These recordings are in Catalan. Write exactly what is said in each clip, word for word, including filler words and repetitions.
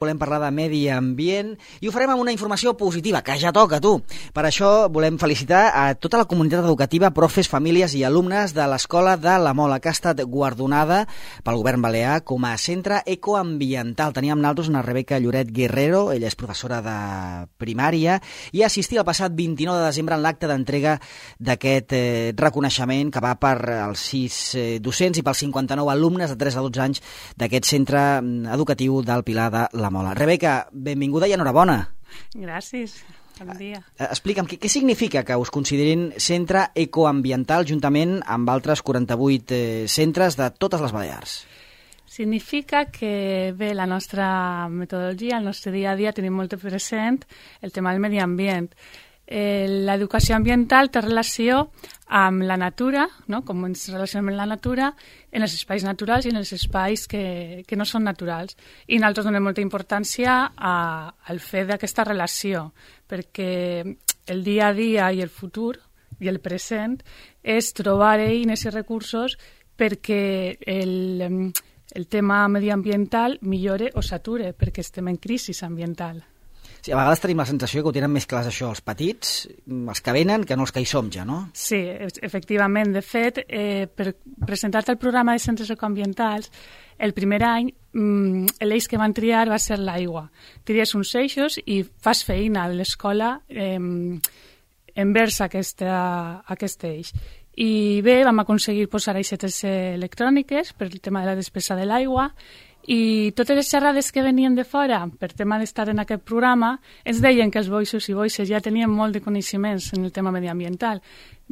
Volem parlar de medi ambient i ho farem amb una informació positiva, que ja toca, tu. Per això volem felicitar a tota la comunitat educativa, profes, famílies i alumnes de l'Escola de la Mola, que ha estat guardonada pel govern balear com a centre ecoambiental. Teníem amb nosaltres una Rebeca Lloret Guerrero, ella és professora de primària, i assistia el passat vint-i-nou de desembre en l'acte d'entrega d'aquest eh, reconeixement que va per als sis eh, docents i pels cinquanta-nou alumnes de tres a dotze anys d'aquest centre educatiu del Pilar de la Mola. Rebeca, benvinguda i enhorabona. Gràcies, bon dia. Explica'm, què, què significa que us considerin centre ecoambiental juntament amb altres quaranta-vuit eh, centres de totes les Balears? Significa que, bé, la nostra metodologia, el nostre dia a dia, tenim molt present el tema del medi ambient. Eh, L'educació ambiental té relació amb la natura, no? Com ens relacionem amb la natura, en els espais naturals i en els espais que, que no són naturals. I nosaltres donem molta importància a, al fet d'aquesta relació, perquè el dia a dia i el futur i el present és trobar eines i recursos perquè el, el tema mediambiental millore o s'ature, perquè estem en crisi ambiental. Sí, a vegades tenim la sensació que ho tenen més clars això, els petits, els que venen, que no els que hi som ja, no? Sí, efectivament. De fet, eh, per presentar-te el programa de centres ecoambientals, el primer any mmm, l'eix que van triar va ser l'aigua. Tries uns eixos i fas feina a l'escola eh, envers aquesta, aquest eix. I bé, vam aconseguir posar aixetes electròniques per el tema de la despesa de l'aigua, i totes les xerrades que venien de fora per tema d'estar en aquest programa ens deien que els boixos i boixes ja tenien molt de coneixements en el tema mediambiental.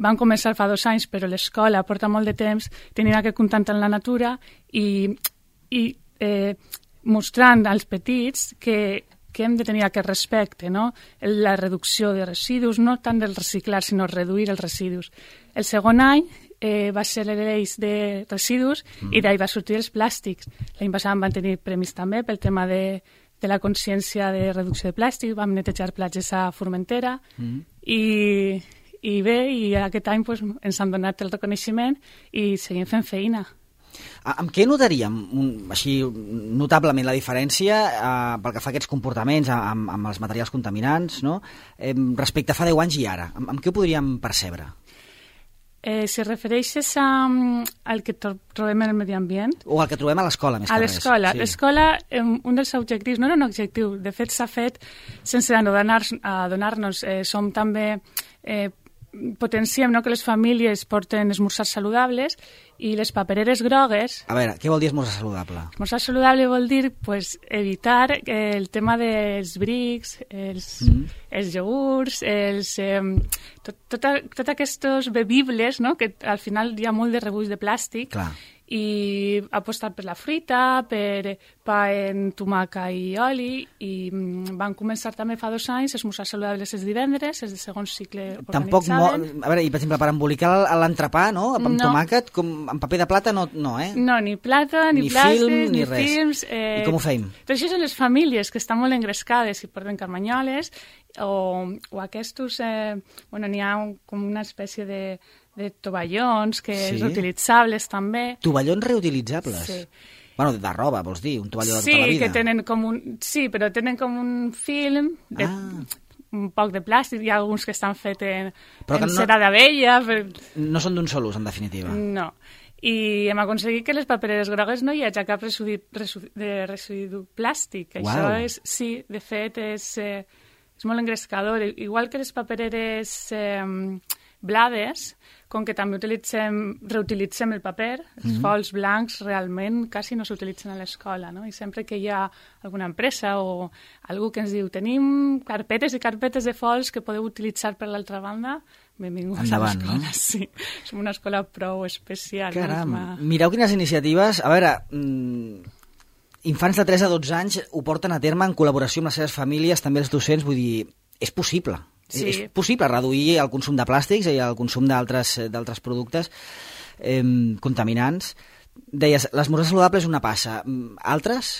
Van començar fa dos anys, però l'escola porta molt de temps tenint aquest contacte amb la natura i, i eh, mostrant als petits que, que hem de tenir aquest respecte, no? La reducció de residus, no tant del reciclar, sinó reduir els residus. El segon any Eh, va ser l'eix de residus mm. i d'ahir va sortir els plàstics. L'any passat van tenir premis també pel tema de, de la consciència de reducció de plàstic, vam netejar platges a Formentera mm. i, i bé, i aquest any pues, ens han donat el reconeixement i seguim fent feina. Amb què notaríem un, així notablement la diferència eh, pel que fa a aquests comportaments amb, amb els materials contaminants, no? eh, respecte a fa deu anys i ara? Amb, amb què ho podríem percebre? Eh, si refereixes a, al que trobem en el medi ambient... O al que trobem a l'escola, més que res. A l'escola. Sí. L'escola, eh, un dels objectius, no era un objectiu, de fet s'ha fet sense adonar-nos. Eh, som també... Eh, potenciem, no?, que les famílies porten esmorzars saludables i les papereres grogues... A veure, què vol dir esmorzar saludable? Esmorzar saludable vol dir pues, evitar el tema dels brics, els, mm. els iogurts, els, eh, tot, tot, tot aquests bebibles, no?, que al final hi ha molt de rebuig de plàstic. Clar. I apostar per la fruita, per pa en tomaca i oli, i van començar també fa dos anys esmorzars saludables els divendres, els de segon cicle Tampoc organitzaven. Mo... A veure, i per exemple, per embolicar l'entrepà, no?, amb no. tomàquet, com amb paper de plata, no, no eh? No, ni plata, ni, ni plàstic, film, ni, ni res. films. Eh... I com ho feim? Tot això són les famílies que estan molt engrescades i porten carmanyoles, o, o aquests, eh... bueno, n'hi ha un, com una espècie de... de tovallons, que sí. reutilitzables també. Tovallons reutilitzables? Sí. Bueno, de roba, vols dir? Un tovalló de sí, tota la vida? Que tenen com un... Sí, però tenen com un film de... Ah. Un poc de plàstic, hi ha alguns que estan fets en, en no, cera d'abella. Per... No són d'un sol ús, en definitiva. No. I hem aconseguit que les papereres grogues no hi hagi cap residu, residu, de residu plàstic. Uau. Això és, sí, de fet, és, eh, és molt engrescador. Igual que les papereres eh, blades, com que també utilitzem, reutilitzem el paper, els mm-hmm. fols blancs realment quasi no s'utilitzen a l'escola, no? I sempre que hi ha alguna empresa o algú que ens diu tenim carpetes i carpetes de fols que podeu utilitzar per l'altra banda, benvinguts endavant, a l'escola. No? Sí, som una escola prou especial. Caram, no? mireu quines iniciatives. A veure, mmm, infants de tres a dotze anys ho porten a terme en col·laboració amb les seves famílies, també els docents, vull dir, és possible. Sí. És possible reduir el consum de plàstics i el consum d'altres d'altres productes eh, contaminants. Deies, l'esmorzar saludable és una passa. Altres?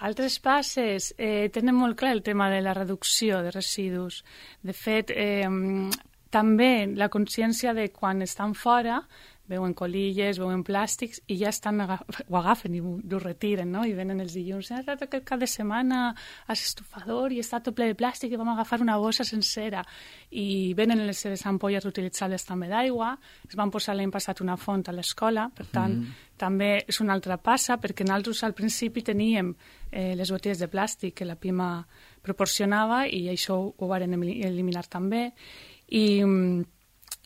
Altres passes eh, tenen molt clar el tema de la reducció de residus. De fet, eh, també la consciència de quan estan fora veuen colilles, veuen plàstics i ja estan ho agafen i ho retiren, no? I venen els dilluns, ah, aquest cap de setmana a l'estufador i està tot ple de plàstic i vam agafar una bossa sencera. I venen les seves ampolles reutilitzables també d'aigua, es van posar l'any passat una font a l'escola, per tant, mm. també és una altra passa, perquè nosaltres al principi teníem eh, les botelles de plàstic que la Pima proporcionava i això ho van eliminar també. I,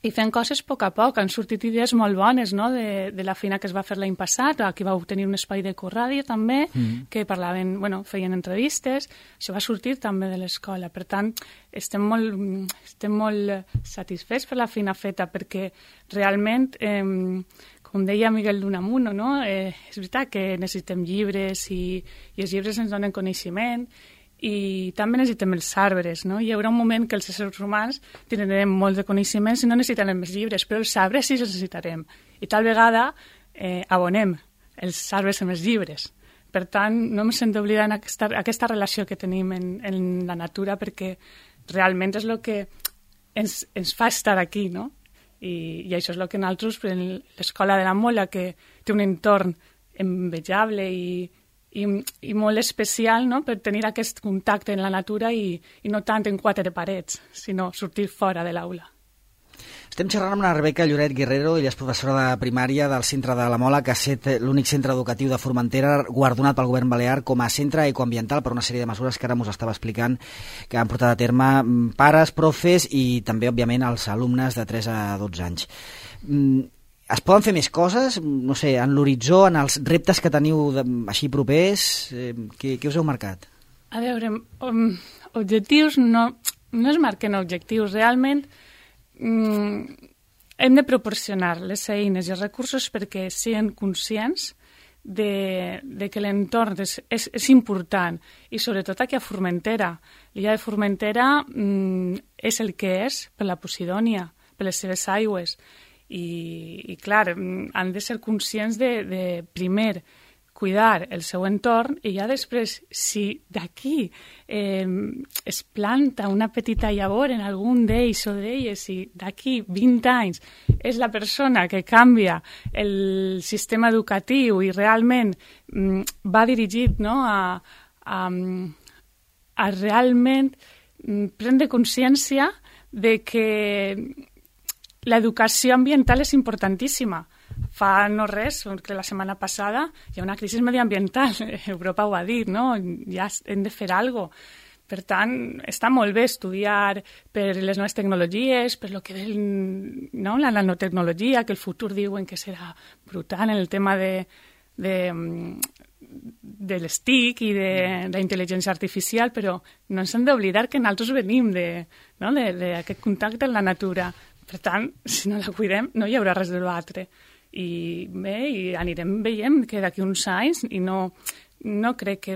i fent coses a poc a poc. Han sortit idees molt bones, no?, de, de la feina que es va fer l'any passat. Aquí vau tenir un espai d'Ecoràdio també, mm. que parlaven, bueno, feien entrevistes. Això va sortir també de l'escola. Per tant, estem molt, estem molt satisfets per la feina feta, perquè realment, eh, com deia Miguel d'Unamuno, no?, eh, és veritat que necessitem llibres i, i els llibres ens donen coneixement, i també necessitem els arbres, no? Hi haurà un moment que els éssers humans tindrem molts de coneixements i no necessitarem més llibres, però els arbres sí els necessitarem. I tal vegada eh, abonem els arbres amb els llibres. Per tant, no hem d'oblidar aquesta, aquesta relació que tenim en, en la natura, perquè realment és el que ens, ens fa estar aquí, no? I, i això és el que nosaltres, l'Escola de la Mola, que té un entorn envejable i I, i molt especial, no?, per tenir aquest contacte en la natura i, i no tant en quatre parets, sinó sortir fora de l'aula. Estem xerrant amb la Rebeca Lloret Guerrero, ella és professora de primària del Centre de la Mola, que ha estat l'únic centre educatiu de Formentera guardonat pel govern balear com a centre ecoambiental per una sèrie de mesures que ara ens estava explicant que han portat a terme pares, profes i també, òbviament, els alumnes de tres a dotze anys. Es poden fer més coses? No sé, en l'horitzó, en els reptes que teniu de, així propers, eh, què, què us heu marcat? A veure, um, objectius no, no es marquen objectius. Realment um, hem de proporcionar les eines i els recursos perquè siguin conscients de, de que l'entorn és, és, és important i sobretot aquí a Formentera. L'illa de Formentera um, és el que és per la Posidònia, per les seves aigües. I, i clar, han de ser conscients de, de primer, cuidar el seu entorn i ja després, si d'aquí eh, es planta una petita llavor en algun d'ells o d'elles i d'aquí vint anys és la persona que canvia el sistema educatiu i realment mm, va dirigit, no?, a, a, a realment mm, prendre consciència de que l'educació ambiental és importantíssima. Fa no res, que la setmana passada hi ha una crisi medioambiental, Europa ho ha dit, no? Ja hem de fer alguna cosa. Per tant, està molt bé estudiar per les noves tecnologies, per lo que ve no? la nanotecnologia, que el futur diuen que serà brutal en el tema de, de, de les T I C i de, de la intel·ligència artificial, però no ens hem d'oblidar que nosaltres venim d'aquest no? de, de contacte amb la natura. Per tant, si no la cuidem, no hi haurà res de l'altre. I bé, i anirem veient que d'aquí uns anys, i no, no crec que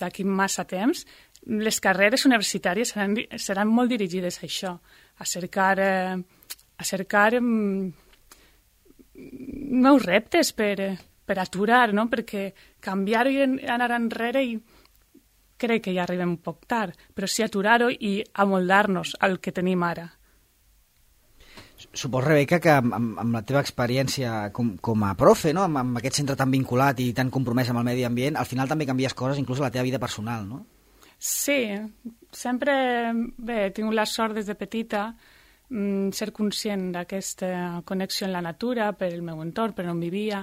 d'aquí massa temps, les carreres universitàries seran, seran molt dirigides a això, a cercar, eh, a cercar eh, nous reptes per, per aturar, no? Perquè canviar-ho i anar enrere i crec que ja arribem un poc tard, però sí aturar-ho i amoldar-nos al que tenim ara. Supos, Rebeca, que amb, amb la teva experiència com, com a profe, no? amb, amb aquest centre tan vinculat i tan compromès amb el medi ambient, al final també canvies coses, inclús a la teva vida personal, no? Sí, sempre bé, he tingut la sort des de petita mm, ser conscient d'aquesta connexió amb la natura, per el meu entorn, per on vivia.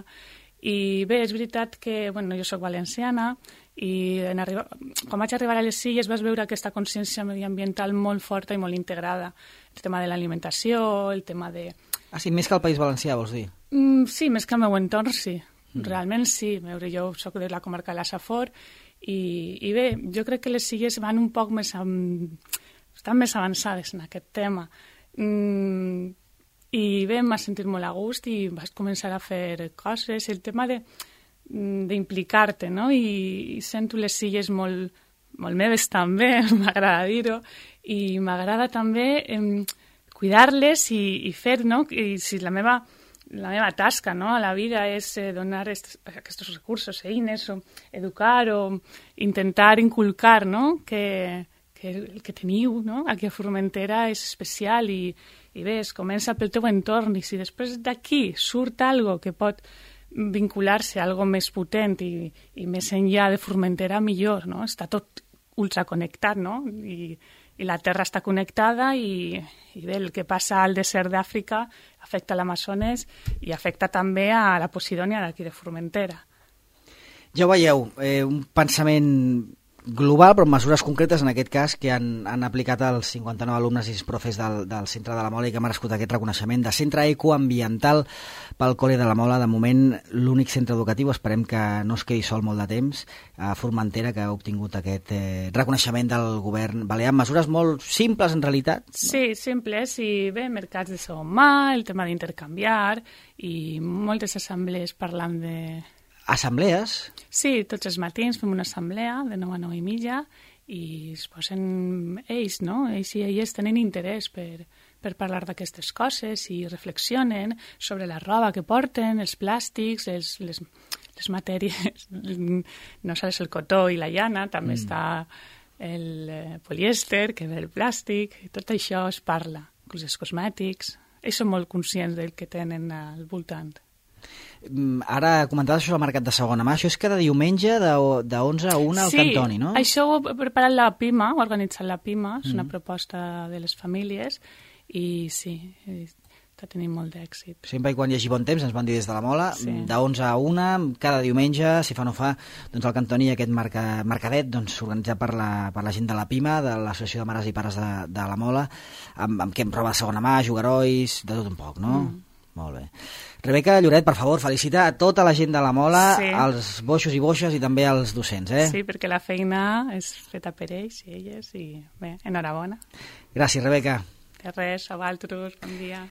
I bé, és veritat que bueno, jo soc valenciana i en arribar, quan vaig arribar a les Illes vas veure aquesta consciència mediambiental molt forta i molt integrada. El tema de l'alimentació, el tema de... Ah, sí, més que el País Valencià, vols dir? Mm, sí, més que el meu entorn, sí. Mm. Realment sí. Veure, jo soc de la comarca de la Safor i, i bé, jo crec que les Illes van un poc més... Amb, estan més avançades en aquest tema. Mm, I bé, em va sentir molt a gust i vaig començar a fer coses. El tema de d'implicar-te, no? I, i sento les Illes molt, molt meves també, m'agrada dir-ho, i m'agrada també eh, cuidar-les i, i fer, no? I si la meva, la meva tasca, no? A la vida és eh, donar est, aquests recursos, eines, o educar o intentar inculcar, no? Que, que que el que teniu, no?, aquí a Formentera és especial i, i bé, es comença pel teu entorn i si després d'aquí surt algo que pot vincular-se a algo més potent i, i més enllà de Formentera, millor, no? Està tot ultraconnectat, no? I, i la Terra està connectada i, i bé, el que passa al desert d'Àfrica afecta l'Amazones i afecta també a la Posidònia d'aquí de Formentera. Ja ho veieu, eh, un pensament global, però amb mesures concretes, en aquest cas, que han, han aplicat els cinquanta-nou alumnes i profes del, del Centre de la Mola i que han merescut aquest reconeixement de Centre Ecoambiental pel Col·le de la Mola. De moment, l'únic centre educatiu, esperem que no es quedi sol molt de temps, a Formentera, que ha obtingut aquest eh, reconeixement del govern balear. Mesures molt simples, en realitat. No? Sí, simples, i bé, mercats de segon mà, el tema d'intercanviar, i moltes assemblees parlant de... Assemblees? Sí, tots els matins fem una assemblea de nou a nou i mitja i es posen ells, no? Ells i elles tenen interès per, per parlar d'aquestes coses i reflexionen sobre la roba que porten, els plàstics, els, les, les matèries, no sols el cotó i la llana, també mm. està el eh, polièster, que ve el plàstic, i tot això es parla, inclús els cosmètics. Ells són molt conscients del que tenen al voltant. Ara comentaves això al mercat de segona mà, això és cada diumenge de, de onze a una al sí, Cantoni, no? Sí, això ho ha preparat la PIMA, ho ha organitzat la PIMA, és mm. una proposta de les famílies i sí, està tenint molt d'èxit. Sempre i quan hi hagi bon temps, ens van dir des de la Mola, sí. de onze a una, cada diumenge, si fa no fa, doncs al Cantoni aquest marca, mercadet doncs, organitzat per la, per la gent de la PIMA, de l'Associació de Mares i Pares de, de la Mola, amb, amb què em roba de segona mà, jugarois, de tot un poc, no? Mm. Molt bé. Rebeca Lloret, per favor, felicita a tota la gent de la Mola, sí. als boixos i boixes i també als docents, eh? Sí, perquè la feina és feta per ells i elles i bé, enhorabona. Gràcies, Rebeca. De res, a vosaltres, bon dia.